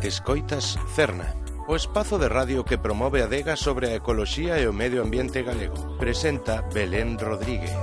Escoitas Cerna, o espazo de radio que promove a adega sobre a ecoloxía e o medio ambiente galego. Presenta Belén Rodríguez.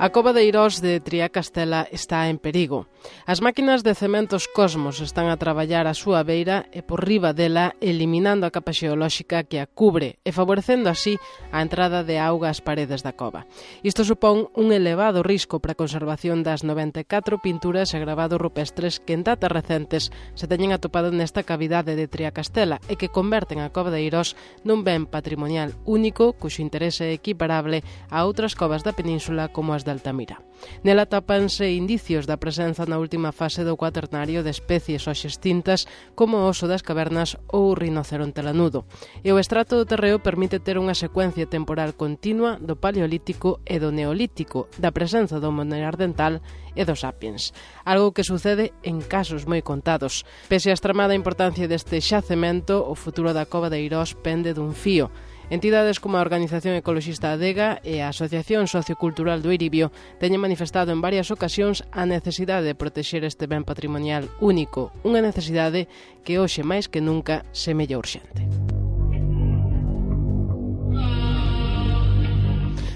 A cova de Eirós de Triacastela está en perigo. As máquinas de cementos Cosmos están a traballar a súa beira e por riba dela eliminando a capa xeolóxica que a cubre e favorecendo así a entrada de auga ás paredes da cova. Isto supón un elevado risco para a conservación das 94 pinturas e gravados rupestres que en datas recentes se teñen atopado nesta cavidade de Triacastela e que converten a cova de Eirós nun ben patrimonial único cuxo interese é equiparable a outras covas da península como as de Altamira. Nela atópanse indicios da presenza na última fase do cuaternario de especies hoxe extintas como o oso das cavernas ou o rinoceronte lanudo. E o estrato do terreo permite ter unha secuencia temporal continua do Paleolítico e do Neolítico, da presenza do Homo neandertal e dos sapiens, algo que sucede en casos moi contados. Pese a extremada importancia deste xacemento, o futuro da cova de Eirós pende dun fío. Entidades como a Organización Ecoloxista Adega e a Asociación Sociocultural do Eiribio teñen manifestado en varias ocasións a necesidade de protexer este ben patrimonial único, unha necesidade que hoxe máis que nunca semella urxente.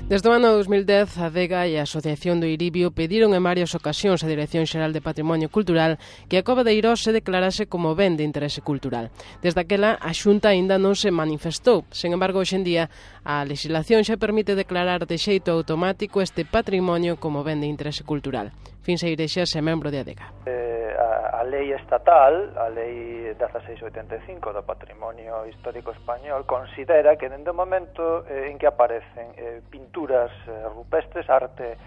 Desde o ano 2010, a Adega e a Asociación do Eiribio pediron en varias ocasións á Dirección Xeral de Patrimonio Cultural que a cova de Eirós se declarase como ben de interese cultural. Desde aquela, a Xunta aínda non se manifestou. Sen embargo, hoxe en día, a legislación xa permite declarar de xeito automático este patrimonio como ben de interese cultural. Finse Irexas é membro de Adega. A lei estatal, a lei 1685 do Patrimonio Histórico Español, considera que dende o momento en que aparecen pinturas rupestres, arte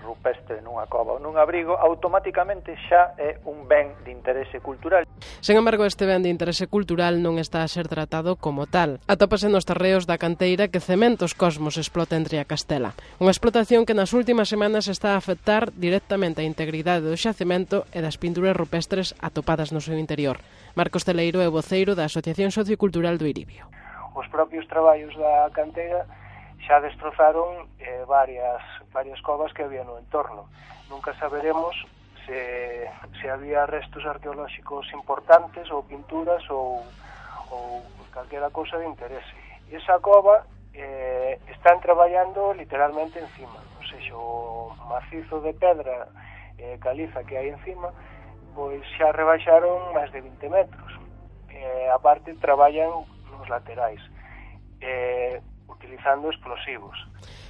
rupestre nunha cova ou nun abrigo, automáticamente xa é un ben de interese cultural. Sen embargo, este ben de interese cultural non está a ser tratado como tal. Atópase nos terreos da canteira que Cementos Cosmos explota en Triacastela. Unha explotación que nas últimas semanas está a afectar directamente a integridade do xacemento e das pinturas rupestres atopadas no seu interior. Marcos Teleiro é o voceiro da Asociación Sociocultural do Eiribio. Os propios traballos da canteira xa destrozaron varias covas que había no entorno. Nunca saberemos se había restos arqueolóxicos importantes ou pinturas ou calquera cousa de interese. E esa cova están traballando literalmente encima, ou seja, o macizo de pedra caliza que hai encima, pois xa rebaixaron máis de 20 metros. A parte traballan nos laterais, utilizando explosivos.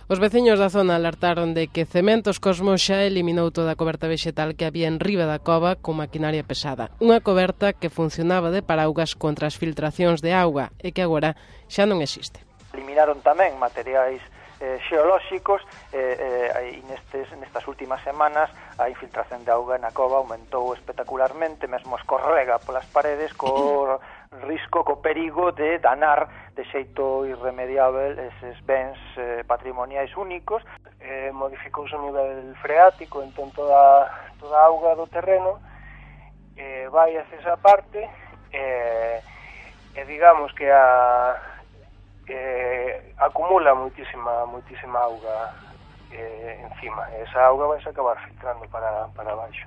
Os veciños da zona alertaron de que Cementos Cosmos xa eliminou toda a coberta vexetal que había en riba da cova con maquinaria pesada. Unha coberta que funcionaba de paraugas contra as filtracións de auga e que agora xa non existe. Eliminaron tamén materiais xeolóxicos e nestas últimas semanas a infiltración de auga na cova aumentou espectacularmente, mesmo escorrega polas paredes co risco, co perigo de danar de xeito irremediável eses bens patrimoniais únicos. Modificouse o nivel freático, entón toda a auga do terreno vai hacia esa parte e digamos que acumula moitísima auga encima. Esa auga vai acabar filtrando para baixo.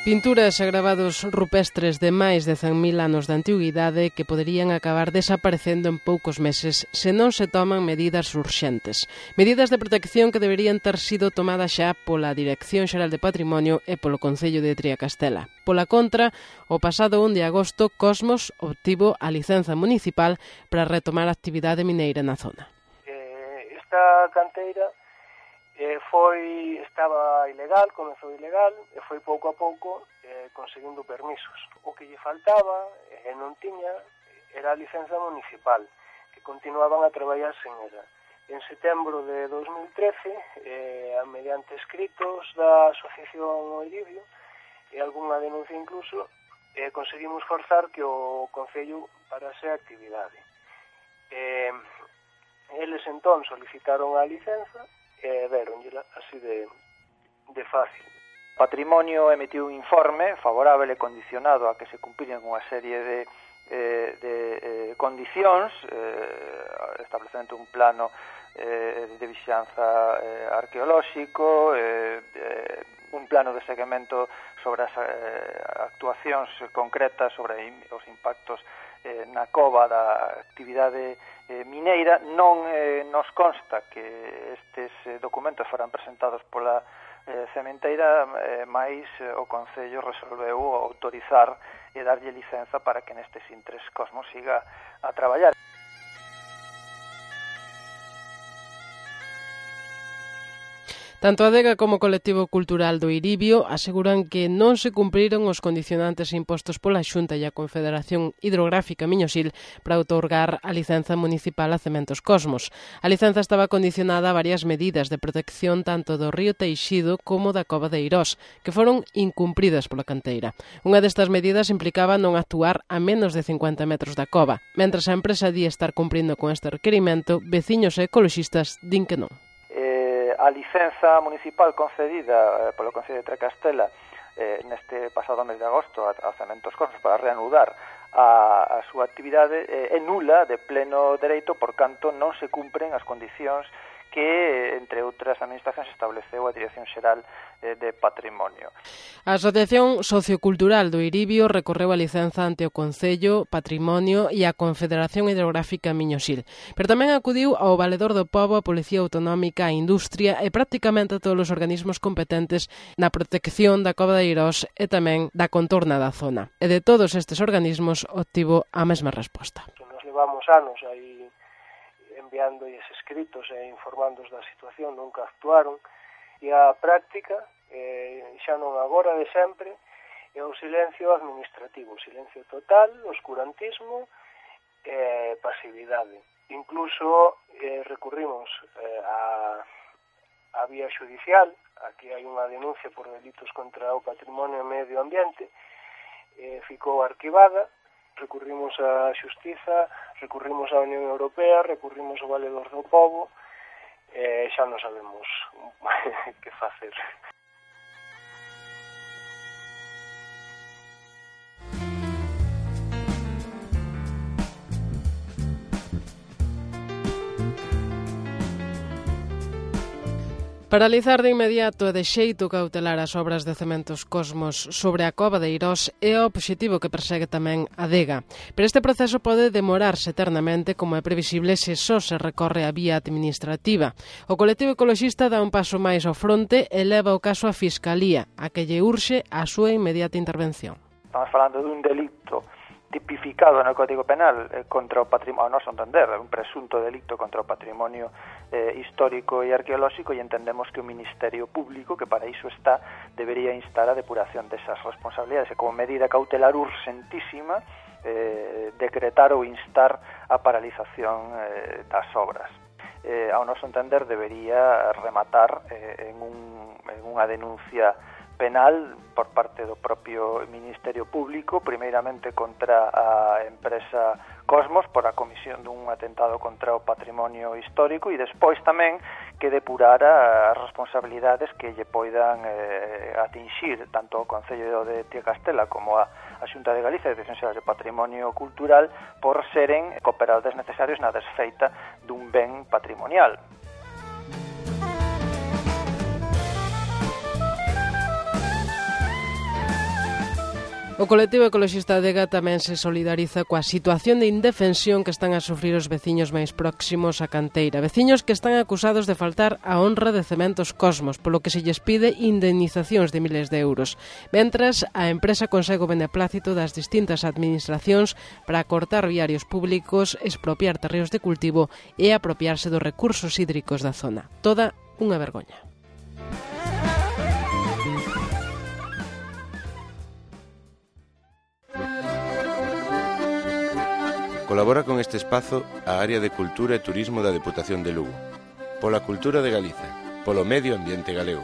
Pinturas e gravados rupestres de máis de 100.000 anos de antigüidade que poderían acabar desaparecendo en poucos meses se non se toman medidas urxentes. Medidas de protección que deberían ter sido tomadas xa pola Dirección Xeral de Patrimonio e polo Concello de Triacastela. Pola contra, o pasado 1 de agosto, Cosmos obtivo a licenza municipal para retomar a actividade mineira na zona. Esta canteira estaba ilegal, comezou ilegal e foi pouco a pouco conseguindo permisos. O que lle faltaba e non tiña era a licenza municipal, que continuaban a traballar sen ela. En setembro de 2013, mediante escritos da Asociación Eiribio e algunha denuncia incluso, conseguimos forzar que o Concello parase a actividade. Eles entón solicitaron a licenza e deronllela así de fácil. Patrimonio emitiu un informe favorable e condicionado a que se cumpriren unha serie de condicións, establecendo un plano de vixianza arqueolóxico, un plano de seguimento sobre as actuacións concretas sobre os impactos na cova da actividade mineira. Non nos consta que estes documentos foran presentados pola cementeira, mais o Concello resolveu autorizar e darlle licenza para que nestes intres Cosmos siga a traballar. Tanto a Adega como o colectivo cultural do Iribio aseguran que non se cumpriron os condicionantes impostos pola Xunta e a Confederación Hidrográfica Miñosil para outorgar a licenza municipal a Cementos Cosmos. A licenza estaba condicionada a varias medidas de protección tanto do río Teixido como da Cova de Eirós, que foron incumpridas pola canteira. Unha destas medidas implicaba non actuar a menos de 50 metros da cova. Mentres a empresa di estar cumprindo con este requerimento, veciños e ecoloxistas din que non. A licenza municipal concedida polo Concello de Trecastela neste pasado mes de agosto a Cementos Cosmos para reanudar a súa actividade é nula de pleno dereito, por canto non se cumpren as condicións que, entre outras administracións, estableceu a Dirección Xeral de Patrimonio. A Asociación Sociocultural do Iribio recorreu a licenza ante o Concello, Patrimonio e a Confederación Hidrográfica Miñosil, pero tamén acudiu ao Valedor do Pobo, a Policía Autonómica, a Industria e prácticamente a todos os organismos competentes na protección da Cova de Eirós e tamén da contorna da zona. E de todos estes organismos obtivo a mesma resposta. Nos levamos anos aí enviándoles escritos e informando da situación, nunca actuaron, e a práctica, xa non agora de sempre, é o silencio administrativo, silencio total, oscurantismo e pasividade. Incluso recurrimos a vía judicial, aquí hai unha denuncia por delitos contra o patrimonio e o medio ambiente, ficou arquivada. Recurrimos á Xustiza, recurrimos á Unión Europea, recurrimos ao Valedor do Pobo, xa non sabemos que facer. Paralizar de inmediato e de xeito cautelar as obras de Cementos Cosmos sobre a Cova de Eirós é o obxectivo que persegue tamén a Adega. Pero este proceso pode demorarse eternamente, como é previsible se só se recorre a vía administrativa. O colectivo ecoloxista dá un paso máis ao fronte e leva o caso á Fiscalía, a que lle urxe a súa inmediata intervención. Estamos falando dun delito tipificado no Código Penal contra o patrimonio, ao noso entender, un presunto delito contra o patrimonio histórico e arqueolóxico, e entendemos que o Ministerio Público, que para iso está, debería instar a depuración desas responsabilidades e como medida cautelar urxentísima decretar ou instar a paralización das obras. Ao noso entender debería rematar en unha denuncia penal por parte do propio Ministerio Público, primeiramente contra a empresa Cosmos por a comisión dun atentado contra o patrimonio histórico e despois tamén que depurara as responsabilidades que lle poidan atinxir tanto o Concello de Trecastela como a Xunta de Galicia e a Dirección Xeral de Patrimonio Cultural por seren cooperadores necesarios na desfeita dun ben patrimonial. O colectivo ecoloxista Adega tamén se solidariza coa situación de indefensión que están a sufrir os veciños máis próximos á canteira. Veciños que están acusados de faltar a honra de Cementos Cosmos, polo que se lles pide indemnizacións de miles de euros. Mentras, a empresa consegue o beneplácito das distintas administracións para cortar viarios públicos, expropiar terreos de cultivo e apropiarse dos recursos hídricos da zona. Toda unha vergoña. Colabora con este espazo a Área de Cultura e Turismo da Deputación de Lugo. Pola cultura de Galiza, polo medio ambiente galego.